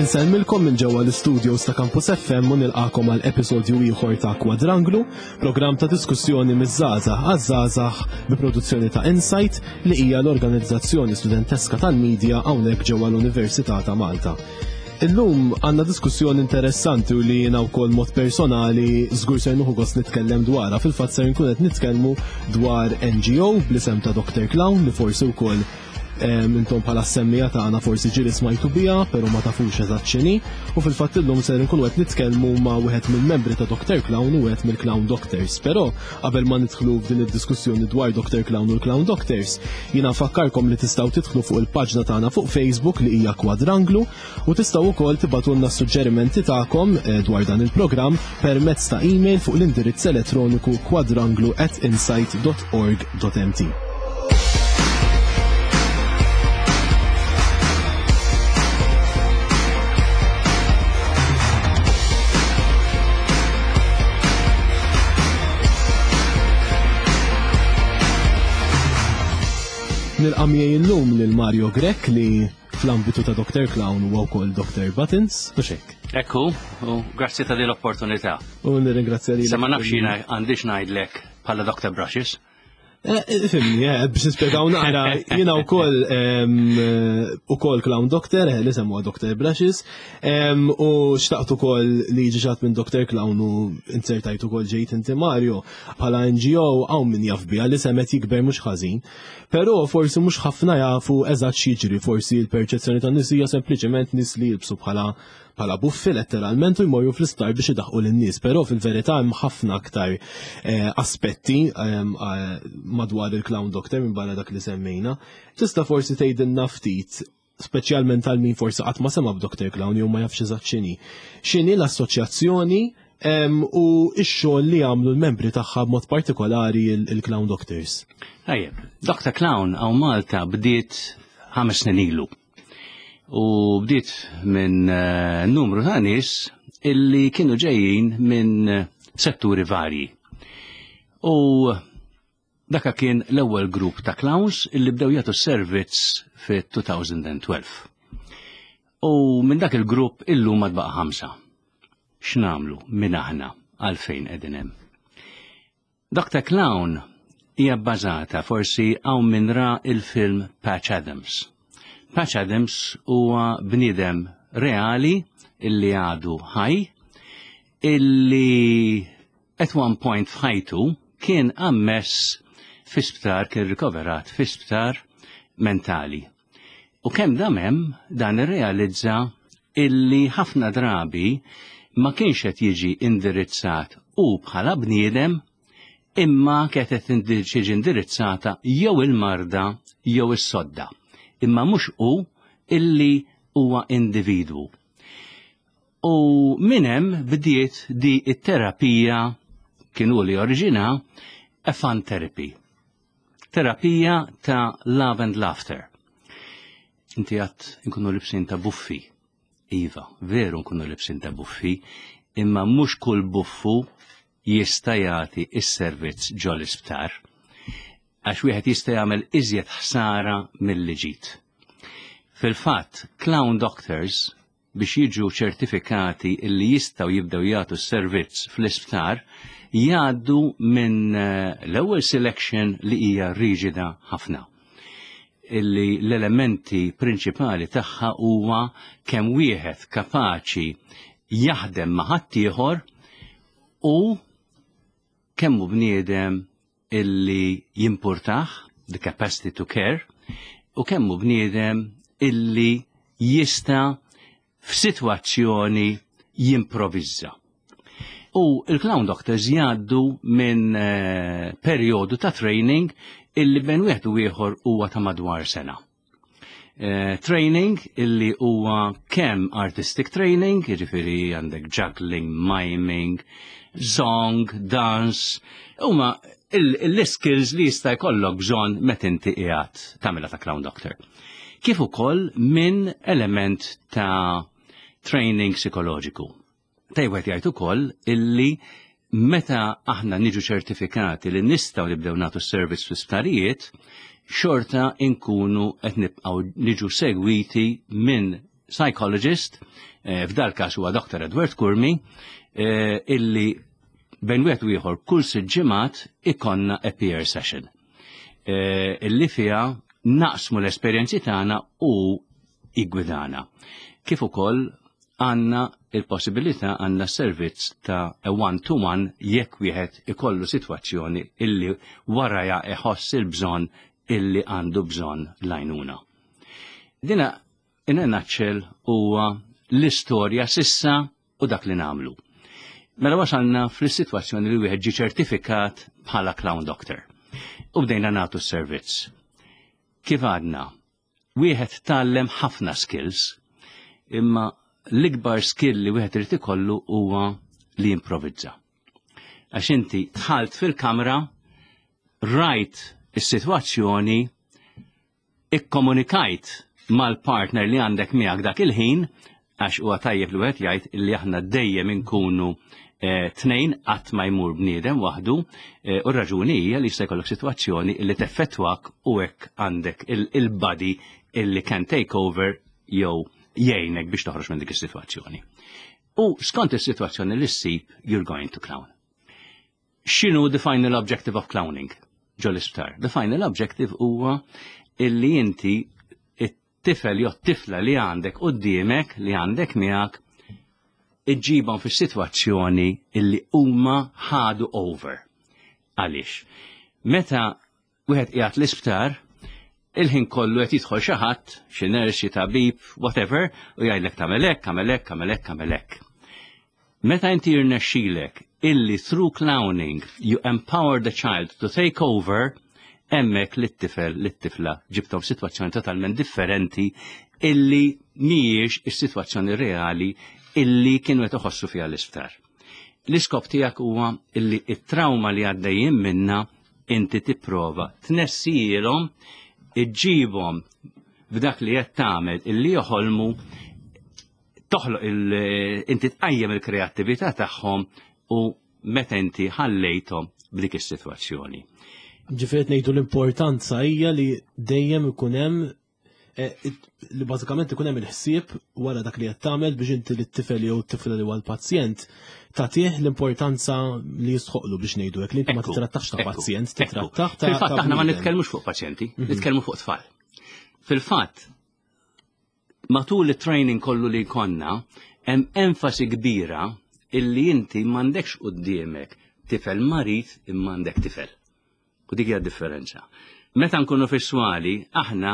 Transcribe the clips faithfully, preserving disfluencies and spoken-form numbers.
Insellmilkom minn ġewwa l-istudios ta' Campus F M u nilqakom għal episodju ieħor ta' Kwadranglu, programm ta' diskussjoni miż-żgħażagħ għaż-żgħażagħ bi produzzjoni ta' Insight, li hija l-organizzazzjoni studenteska tal-medja hawnhekk ġewwa l-Università ta' Malta. Illum għandna diskussjoni interessanti u li jiena wkoll mod personali żgur ser nieħu gost nitkellem dwarha. Fil-fatt ser nkun qed nitkellmu dwar N G O bl-isem ta' Doctor Clown, li forsi wkoll intom bħala semmiegħa tagħna forsi ġieli smajtu biha, però ma tafux eżatt x'inhi. U fil-fatt illum ser nkunu qed nitkellmu ma' wieħed mill-membri ta' Doctor Clown u wieħed mill-Clown Doctors. Però qabel ma nidħlu f'din id-diskussjoni dwar Doctor Clown u l-Clown Doctors, jiena nfakkarkom li tistgħu tidħlu fuq il-paġna tagħna fuq Facebook li hija Kwadranglu u tistgħu wkoll tibagħtulna suġġerimenti tagħkom eh, dwar dan il-programm permezz ta' email fuq l-indirizz elettroniku kwadranglu at insight dot org dot M T. Nilqa' miegħi illum lil Mario Grech, li fl-ambitu ta' Doctor Clown huwa wkoll Doctor Buttons, u xek. Ekku, u grazzi ta' din l-opportunità. U nirringrazzja li. Sa ma nafx jiena għandix ngħidlek bħala Doctor Brushes. Eh, Fhimni, eh, biex nispjegaw naqra, jiena wkoll ukoll Clown Doctor, eh, li semmuha Doctor Brushes, em, u xtaqt ukoll li jiġi xi ħadd minn Doctor Clown u insertajt ukoll ġejt inti, Mario. Bħala N G O hawn min jaf biha, li semet jikber mhux ħażin. Però forsi mhux ħafna jafu eżatt x'jiġri, forsi l-perċezzjoni tan-nies hija sempliċement nies li jilbsu bħala bħala buffi letteralment u jmorru fl-isptar biex idaħqu lin-nies, però fil-verità hemm ħafna aktar eh, aspetti ehm, eh, madwar il-Clown Doctor minn barra dak li semmejna. Tista' forsi tgħidilna ftit, speċjalment għal min forsi qatt ma sema b'Doctor Clown jew ma jafx eżatt x'inhi. X'inhi l-assoċjazzjoni em, u x-xogħol li jagħmlu l-membri tagħha, b'mod partikolari il-Clown Doctors? Tajjeb, Doctor Clown hawn Malta bdiet ħames snin ilu. U bdiet minn eh, numru ta' nies illi kienu ġejjin minn eh, setturi varji. U daka kien l-ewwel grupp ta' clowns illi bdew jagħtu servizz fit-elfejn u tnax. U minn dak il-grupp illum ma tbaqa' ħamsa. X'nagħmlu, min aħna, għalfejn qegħdin hemm? Doctor Clown hija bbażata, forsi hawn min ra il-film Patch Adams. Patch Adams huwa bniedem reali illi għadu ħaj, illi at one point f'ħajtu kien ammess fi sptar, kien rikoverat fi sptar mentali. U kemm dam hemm, dan irrealizza illi ħafna drabi ma kienx qed jiġi indirizzat u bħala bniedem, imma kienet qed tiġi indirizzata jew il-marda jew is-sodda. Imma mhux hu illi huwa individwu. U minn hemm bdiet di it-terapija, kienu li oriġina a fun therapy. Terapija ta' love and laughter. Inti għedt nkunu libsin ta' buffi. Iva, veru nkunu libsin ta' buffi, imma mhux kull buffu jista' jagħti is-servizz ġol isptar. Għax wieħed jista' jagħmel iżjed ħsara milli ġid. Fil-fatt, Clown Doctors biex jiġu ċertifikati illi jistgħu jibdew jagħtu s-servizz fl-isptar jgħaddu minn eh, l-ewwel selection li hija riġida ħafna, illi l-elementi prinċipali tagħha huwa kemm wieħed kapaċi jaħdem ma' ħaddieħor u kemm hu bniedem illi jimpurtah, the capacity to care, u kemm hu bniedem illi jista' f'sitwazzjoni jimprovizza. U il-Clown Doctors jgħaddu minn eh, perjodu ta' training illi bejn wieħed u ieħor huwa ta' madwar sena. Eh, training illi huwa kemm artistic training, jiġifieri għandek juggling, miming, song, dance, huma l-skills li jista' jkollok bżonn meta inti qiegħed tagħmilha ta' Clown Doctor. Kif ukoll minn element ta' training psikoloġiku. Tajjeb jgħid ukoll illi meta aħna niġu ċertifikati li nistgħu nibdew nagħtu servizz fl-isptarijiet, xorta inkunu qed nibqgħu niġu segwiti minn psychologist, eh, f'dal każ huwa Doctor Edward Curmi, eh, illi bejn wieħed u ieħor kull sitt ġimgħat ikollna a peer session. Eh, illi fiha naqsmu l-esperjenzi tagħna u jiggwidana. Kif ukoll għandna il-possibilità, għandna servizz ta' a one-to-one jekk wieħed ikollu sitwazzjoni illi waraja iħoss il-bżonn illi għandu bżonn l-għajnuna. Dina in a nutshell huwa l-istorja s'issa u dak li nagħmlu. Mela wasalna fl-sitwazzjoni li wieħed ġi ċertifikat bħala clown doctor. U bdejna nagħtu s-servizz. Kif għadna, wieħed tgħallem ħafna skills, imma l-ikbar skill li wieħed irid ikollu huwa li jimprovizza. Għax inti dħalt fil-kamra, rajt is-sitwazzjoni, ikkomunikajt mal-partner li għandek miegħek dak il-ħin, għax huwa tajjeb li wieħed jgħid li aħna dejjem inkunu eh, tnejn, qatt ma jmur bniedem waħdu, eh, u r-raġuni hija li jista' jkollok sitwazzjoni li teffettwak u hekk għandek il-buddy illi can take over jew jgħinek biex toħroġ minn dik is-sitwazzjoni. U skont is-sitwazzjoni li ssib, you're going to clown. X'inhu the final objective of clowning ġo l-isptar? The final objective huwa illi inti it-tifel jew tifla li għandek quddiemek, li għandek miegħek, iġġibhom fis-sitwazzjoni illi huma ħadu over. Għaliex? Meta wieħed qiegħed l-isptar, il-ħin kollu qed jidħol xi ħadd, xi nurse, xi tabib, whatever, u jgħidlek tagħmel hekk, tagħmel hekk, tagħmel hekk, tagħmel hekk. Meta inti jirnexxilek illi through clowning you empower the child to take over, hemmhekk lit-tifel, lit-tifla ġibtom situazzjoni totalment differenti illi mhijiex is-sitwazzjoni reali illi kienu qed iħossu fiha l-isptar. L-iskop tiegħek huwa illi it-trauma li għaddejjin minna inti tipprova tnessihom, iġġibhom b'dak li qed tagħmel illi joħolmu, toħloq il inti tqajjem il-kreattività tagħhom u meta inti ħallejthom b'dik is-sitwazzjoni. Ġifieri ngħidu l-importanza hija li dejjem ikun hemm eh, li bażikament ikun hemm il-ħsieb wara dak li qed tagħmel biex inti lit-tifel jew t-tifla li huwa l-pazjent tagħtih l-importanza li jistħoqlu, biex ngħidu hekk, li inti ma Ekku, titrattax ta' ekku, pazjent, ekku. titrattax ta' Fil-fatt ta' aħna ma bniedem. nitkellmux fuq pazjenti, nitkellmu fuq tfal. Fil-fatt, matul it-training kollu li konna, hemm enfasi kbira illi inti m'għandekx quddiemek tifel marid imma għandek tifel. U dik hija differenza. Meta nkunu fis-swali, aħna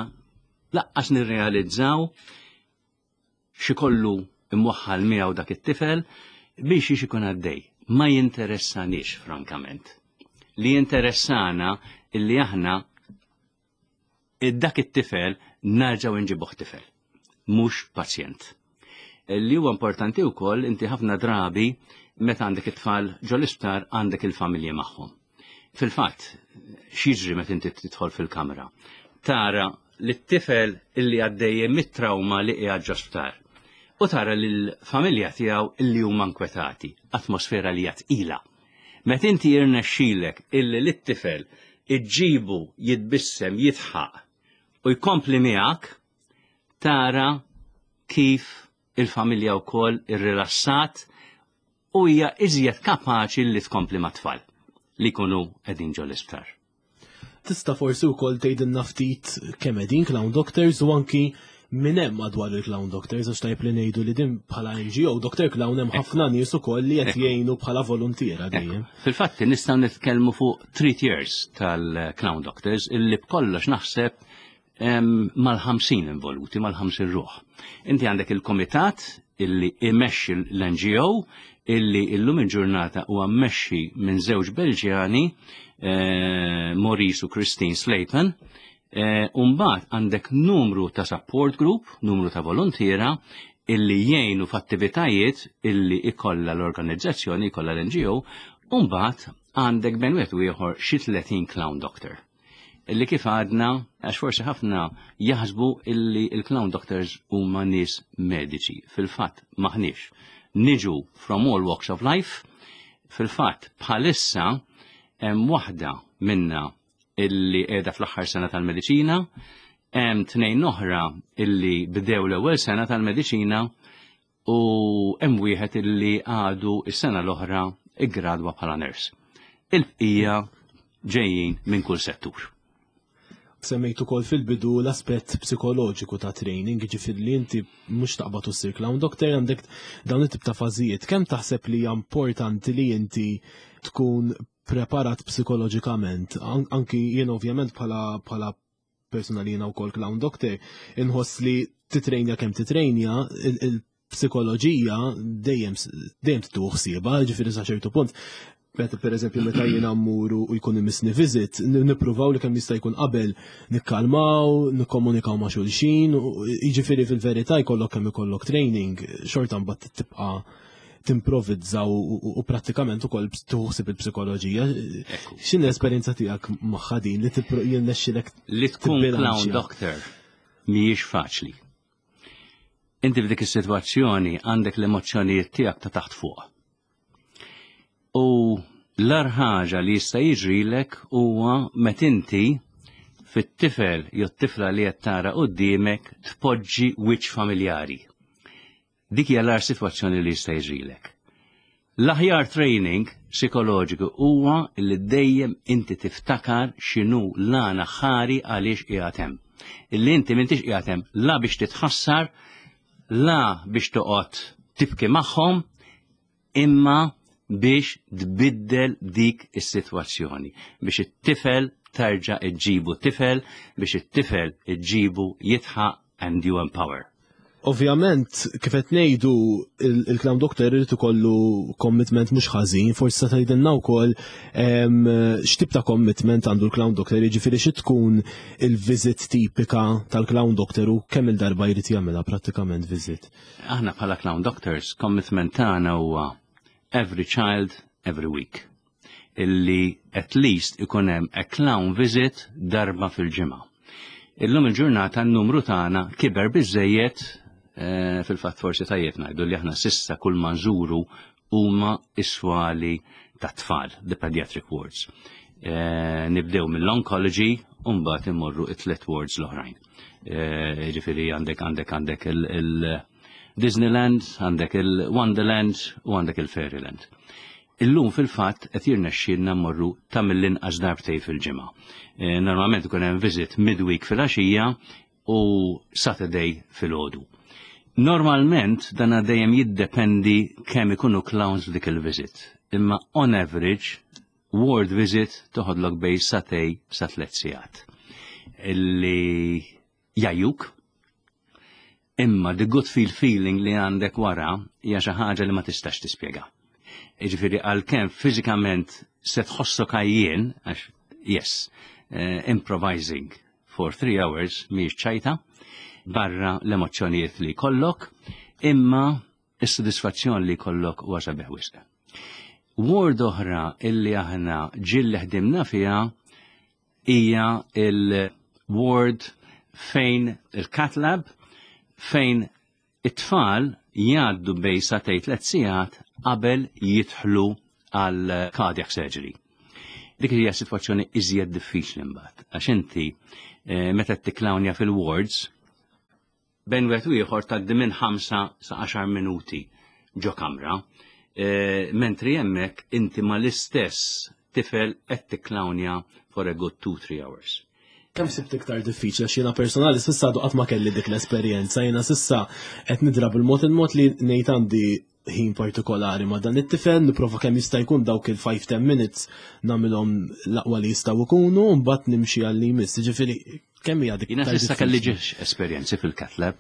lanqas nirrealizzaw x'ikollu imwaħħal miegħu dak it-tifel biex jiex ikun għaddej. Ma jinteressanix, frankament. Li jinteressana illi aħna id-dak it-tifel nerġgħu nġibuh tifel, mhux pazjent. Li huwa importanti wkoll, inti ħafna drabi meta għandek it-tfal ġo l-isptar għandek il-familji magħhom. Fil-fatt, x'jiġri meta inti tidħol fil-kamra? Tara li t-tifel illi għaddejjem mit-trauma li qiegħed ġo sptar. U tara l-familja tiegħu illi huma nkwetati, atmosfera li hija tqila. Meta inti jirnexxilek illi lit-tifel iġġibu jitbissem, jidħaq u jkompli miegħek, tara kif il-familja wkoll irrilassat u hija iżjed kapaċi li tkompli mat-tfal li jkunu qegħdin ġo l-isptar. Tista' forsi wkoll tgħidilna ftit kemm qegħdin Clown Doctors u anki min hemm madwar il-Clown Doctors, għax tajb li ngħidu li din bħala N G O Doctor Clown hemm ħafna nies ukoll li qed jgħinu bħala voluntiera dejjem. Fil-fatt nistgħu nitkellmu fuq three years tal-Clown Doctors illi b'kollox naħseb mal-ħamsin involuti, mal-ħamsin ruħ. Inti għandek il-komitat illi imexxi l-N G O illi illum il-ġurnata huwa mmexxi minn żewġ Belġjani, eh, Maurice u Christine Slayton, eh, Umbagħad għandek numru ta' support group, numru ta' volontiera illi jgħinu f'attivitajiet illi ikolla l-organizzazzjoni, ikolla l-N G O, umbagħad għandek bejn wieħed u ieħor xi tletin clown doctor. Illi kif għadna, għax forsi ħafna jaħsbu illi il-clown doctors huma nies mediċi. Fil-fatt maħniex. Niġu from all walks of life. Fil-fatt bħalissa hemm waħda minna illi qiegħda fl-aħħar sena tal-mediċina, Hemm tnejn oħra illi bdew l-ewwel sena tal-mediċina u hemm wieħed illi għadu is-sena l-oħra iggradwa bħala nurse. Il-bqija ġejjin minn kull settur. Semmejt ukoll fil-bidu l-aspett psikoloġiku ta' training, ġifieri li inti mhux taqbad u ssir clown doctor, għandek dawn it-tip ta' fażijiet. Kemm taħseb li hija importanti li inti tkun preparat psikoloġikament? Anki jien ovvjament bħala bħala persuna li jiena wkoll clown doctor, inħoss li titrejnja kemm titrejnja, il-psikoloġija dejjem dejjem tieħu ħsiebha, ġifieri sa ċertu punt meta per eżempju meta jiena mmuru u jkun imissni visit, nippruvaw li kemm jista' jkun qabel nikkalmaw, nikkomunikaw ma' xulxin, jiġifieri fil-verità jkollok kemm ikollok training, xorta mbagħad tibqa' timprovizza u prattikament ukoll tuħsib il-psikoloġija. X'inhi l-esperjenza tiegħek magħha din li jirnexxilek Li tkun clown doctor mhijiex faċli. Inti f'dik is-sitwazzjoni għandek l-emozzjonijiet tiegħek ta' taħt fuq. U l-agħar ħaġa li jista' jiġrilek huwa meta inti fit-tifel jew t-tifla li qed tara quddiemek tpoġġi wiċċ familjari. Dik hija l-agħar sitwazzjoni li jista' jiġrilek. L-aħjar training psikoloġiku huwa li dejjem inti tiftakar x'inhu l-għan aħħari għaliex qiegħed hemm. Illi inti m'intix qiegħed hemm la biex titħassar, la biex toqgħod tibki magħhom, imma biex tbiddel dik is-sitwazzjoni, biex it-tifel terġa' iġġibu tifel, biex it-tifel iġġibu jidħaq and you empower. Ovvjament, kif qed ngħidu, il-clown doctor irid ikollu commitment mhux ħażin, forsi sa tgħidilna wkoll x'tip ta' commitment għandu l-clown doctor, jiġifieri xi tkun il-visit tipika tal-clown doctor u kemm il-darba jrid jagħmilha prattikament visit. Aħna bħala clown doctors, commitment tagħna huwa every child, every week. Illi at least ikun hemm a clown visit darba fil-ġimgħa. Illum il-ġurnata n-numru tagħna kiber biżejjed eh, fil-fatt forsi tajjeb ngħidu li aħna s'issa kull ma nżuru huma is-swali ta' tfal, the pediatric wards. Eh, nibdew mill-oncology u mbagħad immorru it-tlet wards l-oħrajn. Eh, ġifieri għandek għandek għandek il-Disneyland, għandek il-Wonderland u għandek il-Fairyland. Illum fil-fatt qed jirnexxielna mmorru ta' mill-inqas darbtej fil-ġimgħa. Eh, normalment ikun hemm visit midweek fil-għaxija u Saturday fil-għodu. Normalment dan dejjem jiddependi kemm ikunu clowns f'dik il-visit. Imma on average ward visit toħodlok bejn sagħtejn sa tliet sigħat. Illi jgħajjuk, imma the good feel feeling li għandek wara hija xi ħaġa li ma tistax tispjega. Jiġifieri għalkemm fiżikament se tħossok għajjien, għax yes, uh, improvising for three hours mhijiex ċajta, barra l-emozzjonijiet li kollok, imma is-sodisfazzjon li kollok huwa sabiħ wisq. Ward oħra illi aħna ġieli ħdimna fiha hija il-ward fejn il-cath lab fejn it-tfal jgħaddu bejn sagħtejn tliet sigħat qabel jidħlu għal cardiac surgery. Dik hija sitwazzjoni iżjed diffiċli mbagħad għax inti eh, meta tikklawnja fil-wards bejn wieħed u ieħor tgħaddi minn ħamsa sa għaxar minuti ġo kamra, e, mentri hemmhekk inti ma l-istess tifel qed tikklawnja for a good two, three hours. Kemm sibt iktar diffiċli għax jiena personali s'issa għadu qatt ma kelli dik l-esperjenza, jiena s'issa qed nidra bil-mod il-mod li ngħid għandi ħin partikolari ma dan it-tifel, nipprova kemm jista' jkun dawk il-five ten minutes nagħmilhom l-aqwa li jistgħu jkunu u mbagħad nimxi għal li jmiss. Ġifieri kemm hija dik Jiena s'issa kelli ġiex esperjenzi fil-cath lab.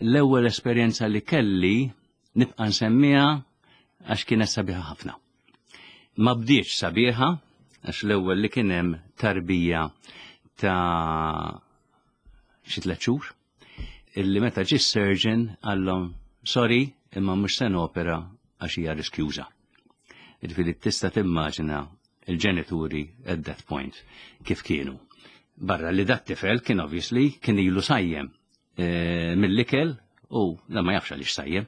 L-ewwel esperjenza li kelli nibqa' nsemmiha għax kienet sabiħa ħafna. Ma bdietx sabiħa għax l-ewwel li kien hemm tarbija ta' xi tliet xhur illi meta ġie surgeon qallhom sorry imma mhux se nopera għax hija riskjuża. Ġifieri tista' timmaġina il-ġenituri at that point kif kienu. Barra li dat tifel kien obviously kien ilu sajjem e, mill-ikel u la ma jafx għaliex sajjem.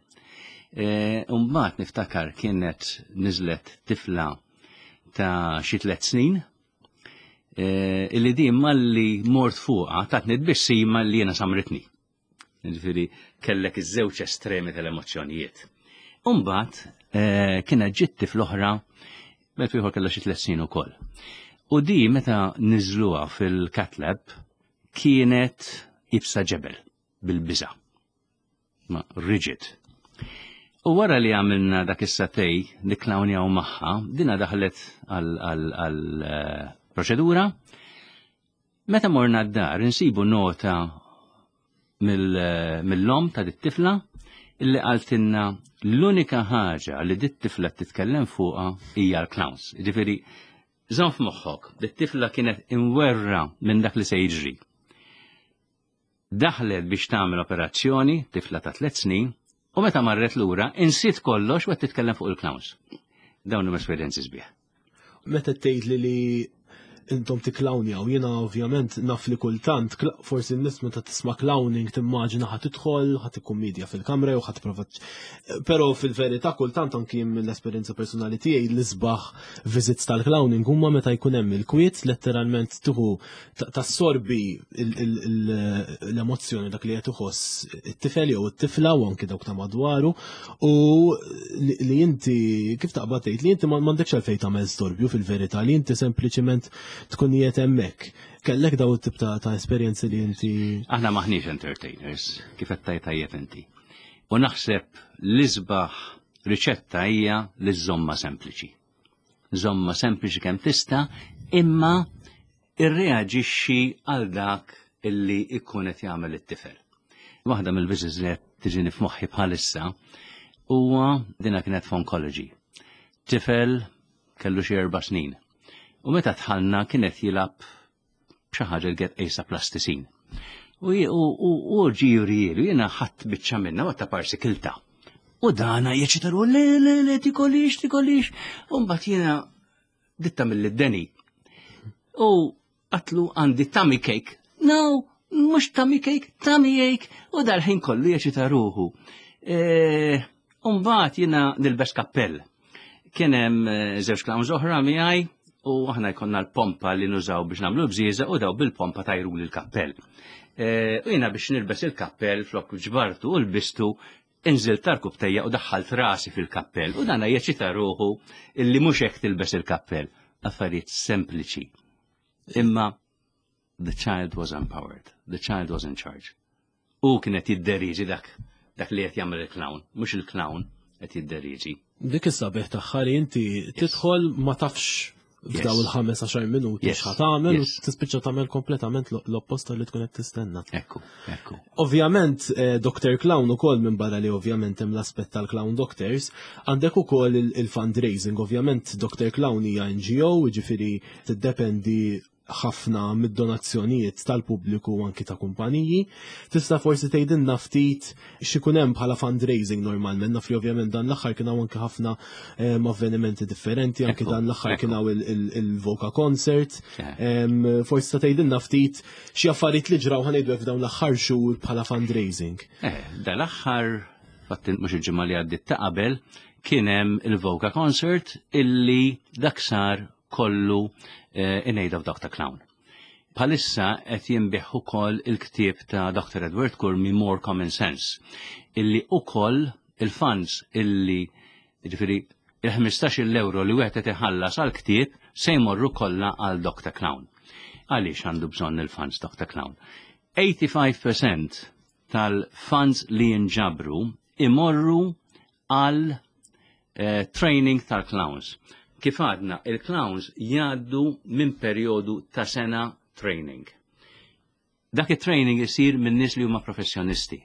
E, Mbagħad niftakar kienet niżlet tifla ta' xi tliet snin Eh, illi din malli mort fuqha tatni tbissima li jiena samritni. Ġifieri kellek iż-żewġ estremi tal-emozzjonijiet. Umbagħad eh, kienet ġiet tifla oħra, bet ieħor kellha xi tliet snin ukoll. U di meta niżluha fil-cath lab kienet iebsa ġebel bil-biża. Ma rigid. U wara li għamilna dak is-sagħtejn nikklawnjaw magħha, dina daħlet għal eh, proċedura. Meta morna d-dar insibu nota mill-omm ta' dit-tifla illi qaltilna l-unika ħaġa li dit-tifla titkellem fuqha hija l-clowns. Ġifieri, żomm f'moħħok, dit-tifla kienet imwerwra minn dak li se jiġri. Daħlet biex tagħmel operazzjoni, tifla ta' tliet snin, u meta marret lura insiet kollox u qed titkellem fuq il-clowns. Dawn huma esperjenzi sbieħ. Meta tgħid li li intom tikklawnjaw, jiena ovvjament naf li kultant, forsi n-nies meta tisma' clowning timmaġina ħa tidħol, ħa tikkummedja fil-kamra u ħa tipprova. Però fil-verità kultant anki mill-esperjenza personali tiegħi l-isbaħ visits tal-clowning huma meta jkun hemm il-kwiet, letteralment tieħu tassorbi l-emozzjoni dak li qed iħoss it-tifel jew it-tifla u anki dawk ta' madwaru u li inti kif taqbad tgħid li inti m'għandekx għalfejn tagħmel storbju fil-verità li inti sempliċiment tkun qiegħed hemmhekk. Kellek daw it-tip ta' ta' esperjenzi li inti. Aħna maħniex entertainers, kif qed tgħid tajjeb inti. U naħseb l-isbaħ riċetta hija li żomma sempliċi. Żomma sempliċi kemm tista', imma irreaġixxi għal dak illi ikun qed jagħmel it-tifel. Waħda mill-visits li qed tiġini f'moħħi bħalissa huwa dina kienet f'oncology. Tifel kellu xi erba' snin. U meta dħalna kienet jilgħab b'xi ħaġa li kienet qisha plastisin. U u ġie jurihieli, jiena ħadt biċċa minnha u ta' parsi kiltha. U dana jeċitaru, le, le, le, tikolix, tikolix. U mbagħad jiena ditta mill-deni. U għedtlu għandi tummy cake. No, mhux tummy cake, tummy ache. U dal-ħin kollu jeċita ruħu. E, U mbagħad jiena nilbes kappell. Kien hemm eh, żewġ clowns oħra miegħi u aħna jkollna l-pompa li nużaw biex nagħmlu bżieżaq u daw bil-pompa tajru l-kappell. E, U jiena biex nilbes il-kappell flok ġbartu u lbistu inżilt għarkupptejja u daħħalt rasi fil-kappell u dana jeċita ruħu illi mhux hekk tilbes il-kappell. Affarijiet sempliċi. Imma the child was empowered, the child was in charge. U kienet jidderiġi dak dak li qed jagħmel il-clown, mhux il-clown qed jidderiġi. Dik is-sabiħ tagħha li inti tidħol ma tafx f'daw il-ħames għaxar minuti Yes. x'ħa tagħmel u Yes. tispiċċa tagħmel kompletament l-opposta li tkun qed tistenna. Ekku, ekku. Ovvjament, eh, Doctor Clown ukoll minn barra li ovvjament hemm l-aspett tal-Clown Doctors, għandek ukoll il- il-fundraising. Ovvjament Doctor Clown hija N G O, jiġifieri tiddependi ħafna mid-donazzjonijiet tal-pubbliku u anki ta' kumpaniji. Tista' forsi tgħidilna ftit x'ikun hemm bħala fundraising normalment, naf li ovvjament dan l-aħħar kien hawn anki ħafna em, avvenimenti differenti, anki Ekku, dan l-aħħar kien ekku. hawn il- il- il-Voca Concert. Eh. Em, Forsi ta' tgħidilna ftit xi affarijiet li ġraw ħa ngħidu f'dawn l-aħħar xhur bħala fundraising. Eh, dal-aħħar, fatt mhux il-ġimgħa li għaddit ta' qabel, kien hemm il-Voca Concert illi dak sar kollu eh, in aid of Doctor Clown. Bħalissa qed jinbiegħ ukoll il-ktieb ta' Doctor Edward Curmi More Common Sense, illi ukoll il-funds illi ġifieri il-ħmistax-il euro li wieħed qed iħallas għal ktieb se jmorru kollha għal Doctor Clown. Għaliex għandu bżonn il-funds Doctor Clown? tminja u sebgħin fil-mija tal-funds li jinġabru imorru għal eh, training tal-clowns. Kif għadna, il-clowns jgħaddu minn perjodu ta' sena training. Dak it-training isir minn nies li huma professjonisti.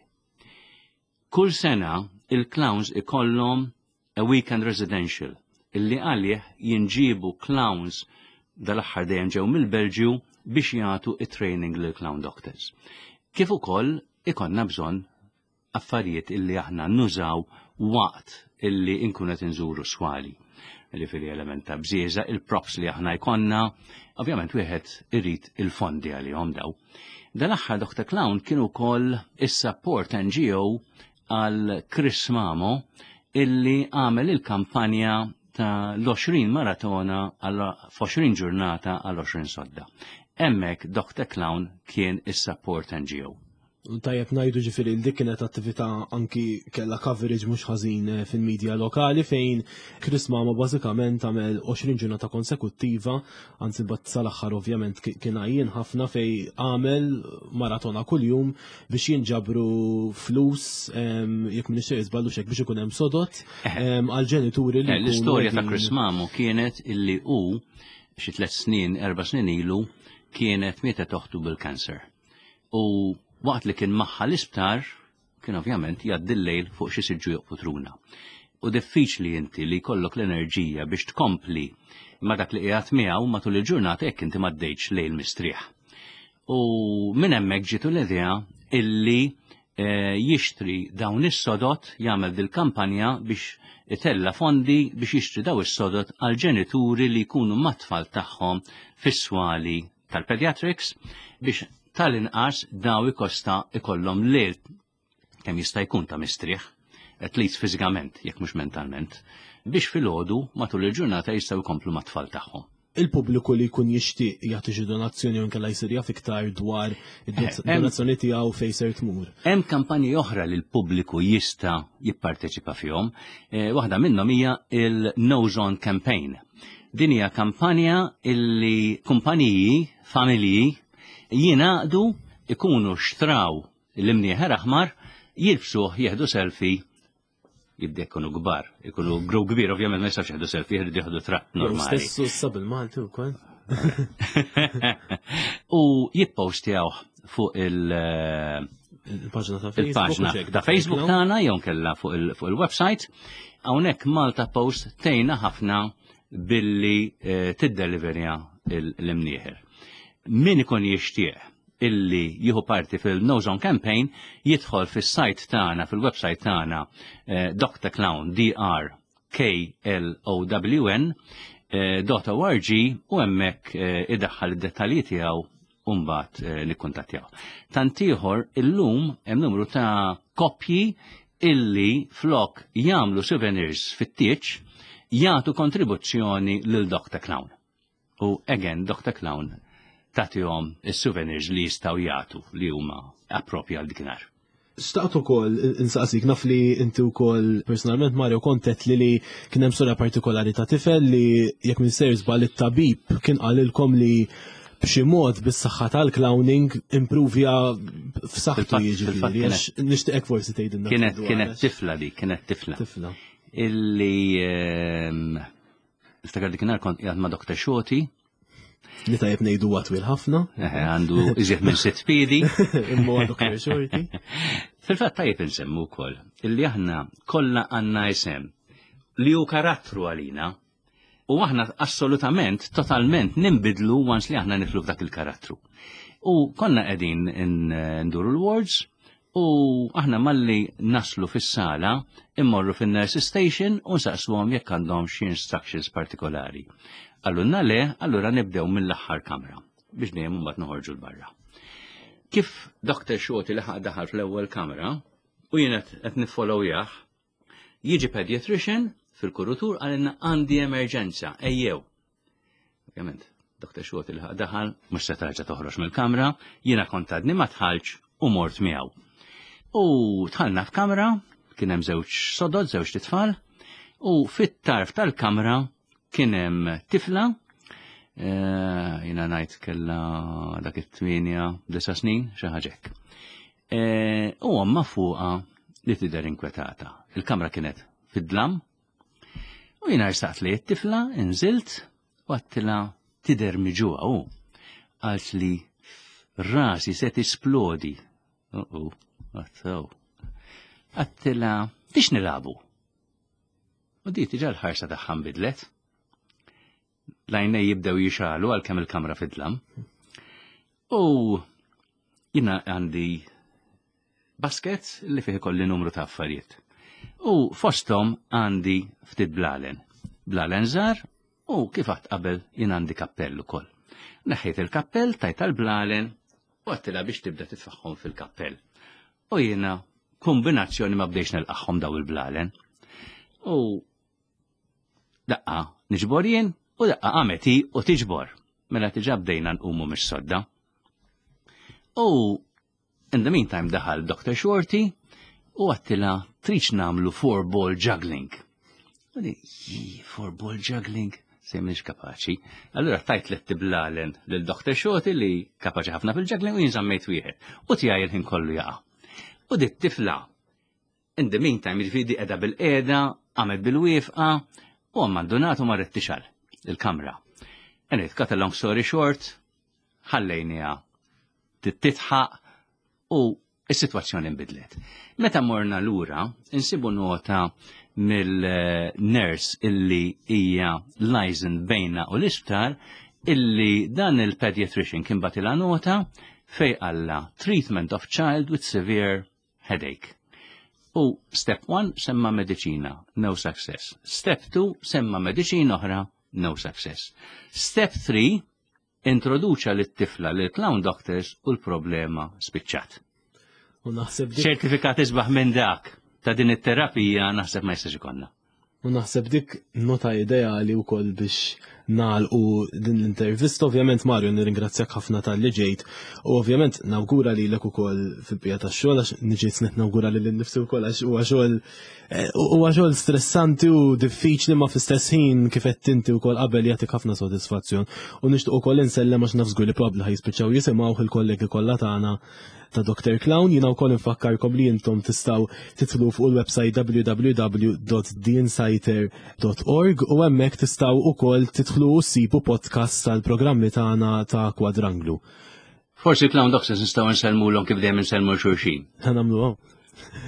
Kull sena il-clowns ikollhom a weekend residential illi għalih jinġibu clowns dal-aħħar dejjem ġew mill-Belġju biex jagħtu it-training lil clown doctors. Kif ukoll ikollna bżonn affarijiet illi aħna nużaw waqt illi inkunu qed inżuru swali. Ġifieri element ta' bżieżaq, il-props li aħna jkollna, ovvjament wieħed irid il-fondi għalihom daw. Dal-aħħar Doctor Clown kienu ukoll is-support N G O għal Chris Mamo illi għamel il-kampanja ta' l-għoxrin maratona għal għoxrin ġurnata għal għoxrin sodda. Hemmhekk Doctor Clown kien is-support N G O. Tajjeb ngħidu, ġifieri, dik kienet attività anki kella coverage mhux ħażin eh, fil-medja lokali, fejn Chris Mamo bażikament għamel għoxrin ġurnata konsekuttiva, anzi bat sal-aħħar ovvjament kien għajjien ħafna, fejn għamel maratona kuljum biex jinġabru flus, jekk m'iniex żbaljat xek, biex ikun hemm sodod għal ġenituri li eh, L-istorja ta' Chris Mamo kienet illi hu xi tliet snin, erba' snin ilu kienet mietet oħtu bil-kanser. U waqt li kien magħha l-isptar, kien ovvjament jgħaddi l-lejl fuq xi siġġu jew putruna. U diffiċli inti li jkollok l-enerġija biex tkompli ma dak li qiegħed miegħu matul il-ġurnata jekk inti m'għaddejtx lejl mistrieħ. U minn hemmhekk ġietu l-idea illi eh, jixtri dawn is-sodod, jagħmel dil-kampanja biex itella fondi biex jixtri daw is-sodod għal ġenituri li jkunu mat-tfal tagħhom fis-swali tal-pediatrics, biex tal-inqas daw ikosta ikollhom lejl kemm jista' jkun ta' mistrieħ, at least fiżikament, jekk mhux mentalment, biex filgħodu matul il-ġurnata jistgħu jkomplu mat-tfal tagħhom. Il-pubbliku li jkun jixtieq jagħti xi donazzjoni u nkella jsir jaf iktar dwar id-donazzjoni tiegħu, fejn ser tmur? Hemm kampanji oħra li l-pubbliku jista' jipparteċipa fihom. Eh, waħda minnhom hija il-Nose On Campaign. Din hija kampanja illi kumpaniji, familji jingħaqdu, ikunu xtraw l-imnieħer aħmar, jilbsuh, jieħdu selfie, jibda jkunu kbar, ikunu grow kbir, ovvjament ma jistax jieħdu selfie, jieħdu jieħdu tratt normali. Stessu issa bil-Malti wkoll. U jippostjaw fuq il- Il-paġna ta' Facebook. Il-paġna ta' Facebook tagħna jew kella fuq il-website. Hawnhekk Malta Post tgħinna ħafna billi eh, tiddeliverja l-imnieħer. Min ikun jixtieq illi jieħu parti fil-Nose On Campaign jidħol fis-site tagħna, fil-website tagħna, eh, Doctor Clown, D R K L O W N eh, dot org, u hemmhekk eh, idaħħal id-dettalji tiegħu u mbagħad eh, nikkuntattjaw. Tant ieħor, illum hemm numru ta' koppji illi flok jagħmlu souvenirs fit-tieġ jagħtu kontribuzzjoni lil Doctor Clown. U again, Doctor Clown tagħtihom is-souvenirs li jistgħu jagħtu li huma appropja għal dikinhar. Xtaqt ukoll insaqsik, naf li inti wkoll personalment, Mario, kontet li li kien hemm storja partikolari ta' tifel li, jekk m'iniex sejjer żball, it-tabib kien qalilkom li b'xi mod bis-saħħa tal-clowning improvja f'saħħtu, Fil-fatt- jiġifieri. Fil-fatt kienet- Għax nixtieqek forsi tgħidilna Kienet ftit dwar, kienet għax- tifla di, kienet tifla. Tifla. Illi ehm, niftakar dikinhar kont qiegħed ma' Doctor Shorty, Li tajjeb ngħidu huwa twil ħafna. Eh, għandu iżjed minn sitt piedi. Imma huwa Doctor Shorty. Fil-fatt tajjeb insemmu wkoll illi aħna kollha għandna isem li hu karattru għalina u aħna assolutament, totalment nimbidlu once li aħna nidħlu f'dak il-karattru. U konna qegħdin nduru l-wards u aħna malli naslu fis-sala immorru fin-nurse station u nsaqsuhom jekk għandhom xi instructions partikolari. Qalulna le, allura nibdew mill-aħħar kamra biex dejjem mbagħad noħorġu l-barra. Kif Doctor Shorty laħaq daħal fl-ewwel kamra u jien qed niffollowjah, jiġi pediatrician fil-kurutur, qalilna, "Għandi emerġenza, ejjew." Ovvjament, Doctor Shorty laħaq daħal, mhux se terġa' toħroġ mill-kamra, jiena kont għadni ma dħaltx u mort miegħu. U dħalna f'kamra, kien hemm żewġ sodod, żewġ titfal, u fit-tarf tal-kamra kien hemm tifla, eh, jiena ngħid kella dak it-tmienja, disa' snin, xi ħaġa hekk. Eh, U ommha fuqha li tidher inkwetata. Il-kamra kienet fid-dlam, u jiena rsaqt li t-tifla, inżilt, u għedtilha, "Tidher miġugħa," u qalt li, "Rasi se tisplodi." Uh-oh, għattaw. Għedtilha, "Tix nilagħbu?" U di diġà l-ħarsa tagħha nbidlet. L-għajnejn jibdew jixegħlu għalkemm il-kamra fid-dlam. U jiena għandi basket li fih kolli numru ta' affarijiet. U fostom għandi ftit blalen. Blalen żgħar, u kif għedt qabel jien għandi kappell ukoll. Neħħejt il-kappell, tajt tal-blalen u għedtilha biex tibda titfagħhom fil-kappell. U jiena kombinazzjoni ma bdejx nilqagħhom daw il-blalen. U Daqqa niġbor jien u daqqa qamet hi u tiġbor. Mela diġà bdejna nqumu mix-sodda. U in the meantime daħal Doctor Shorty u għedtilha, "Tridx nagħmlu four ball juggling?" U di, four ball juggling, se mhix kapaċi. Allura tajt li tiblalen lil Doctor Shorty li kapaċi ħafna fil-juggling u jien żammejt wieħed. U tiegħi il-ħin kollu jaqa'. U di tifla, in the meantime, jiġifieri di qiegħda bilqiegħda, qamet bilwieqfa, u abbandonatu, marret tixgħel il-kamra. And cut a long story short, ħallejniha titħaq u is-sitwazzjoni nbidlet. Meta morna lura, insibu nota mill-nurse illi hija liaison bejna u l-isptar illi dan il-pediatrician kien bagħtilha nota fejn qallha "treatment of child with severe headache". U step one semma mediċina, no success. Step two semma mediċina oħra, no success. Step three introduċa lit-tifla lil Clown Doctors u l-problema spiċċat. U naħseb dik ċertifikat isbaħ minn dak ta' din it-terapija naħseb ma jistax ikollna. U naħseb dik nota ideali wkoll biex nagħlqu din l-intervista. Ovvjament, Mario, nirringrazzjak ħafna talli ġejt u ovvjament nawgura lilek ukoll fil-bija tax-xogħol, għax niġi snet nawgura lili nnifsi wkoll, għax huwa xogħol eh, huwa xogħol stressanti u diffiċli, ma fl-istess ħin, kif qed inti wkoll qabel, jagħtik ħafna sodisfazzjon. U nixtieq ukoll insellem, għax naf żgur li probabbli ħa jispiċċaw jisimgħu, il-kollegi kollha tagħna ta' Doctor Clown. Jiena wkoll infakkarkom li intom tistgħu tidħlu fuq il-website w w w dot the insighter dot org u hemmhekk tistgħu ukoll tidħlu u ssibu podcast tal-programmi tagħna ta' Kwadranglu. Forsi Clown Doctors nistgħu nsellmulhom kif dejjem insellmu xulxin. Ħa nagħmlu.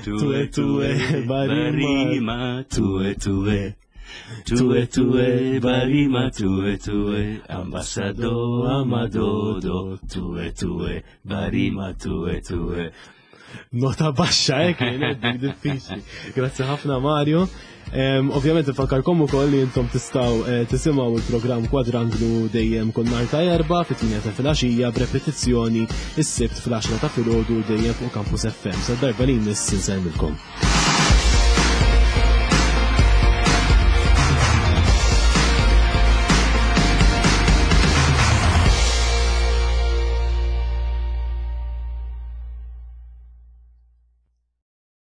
Tue tue barima, tue tue. Tue tue barima, tue tue, ambasado amadodo, tue tue barima, tue tue. Nota baxxa, eh, kienet dik diffiċli. Grazzi ħafna, Mario. Em, Ovvjament infakkarkom ukoll li intom tistgħu eh, tisimgħu il-programm Kwadranglu dejjem kull nhar ta' Erbgħa fit-tmienja ta' filgħaxija, b'repetizzjoni is-Sibt fl-għaxra ta' filgħodu, dejjem fuq Campus F M. Sa darba li jmiss, insellmilkom.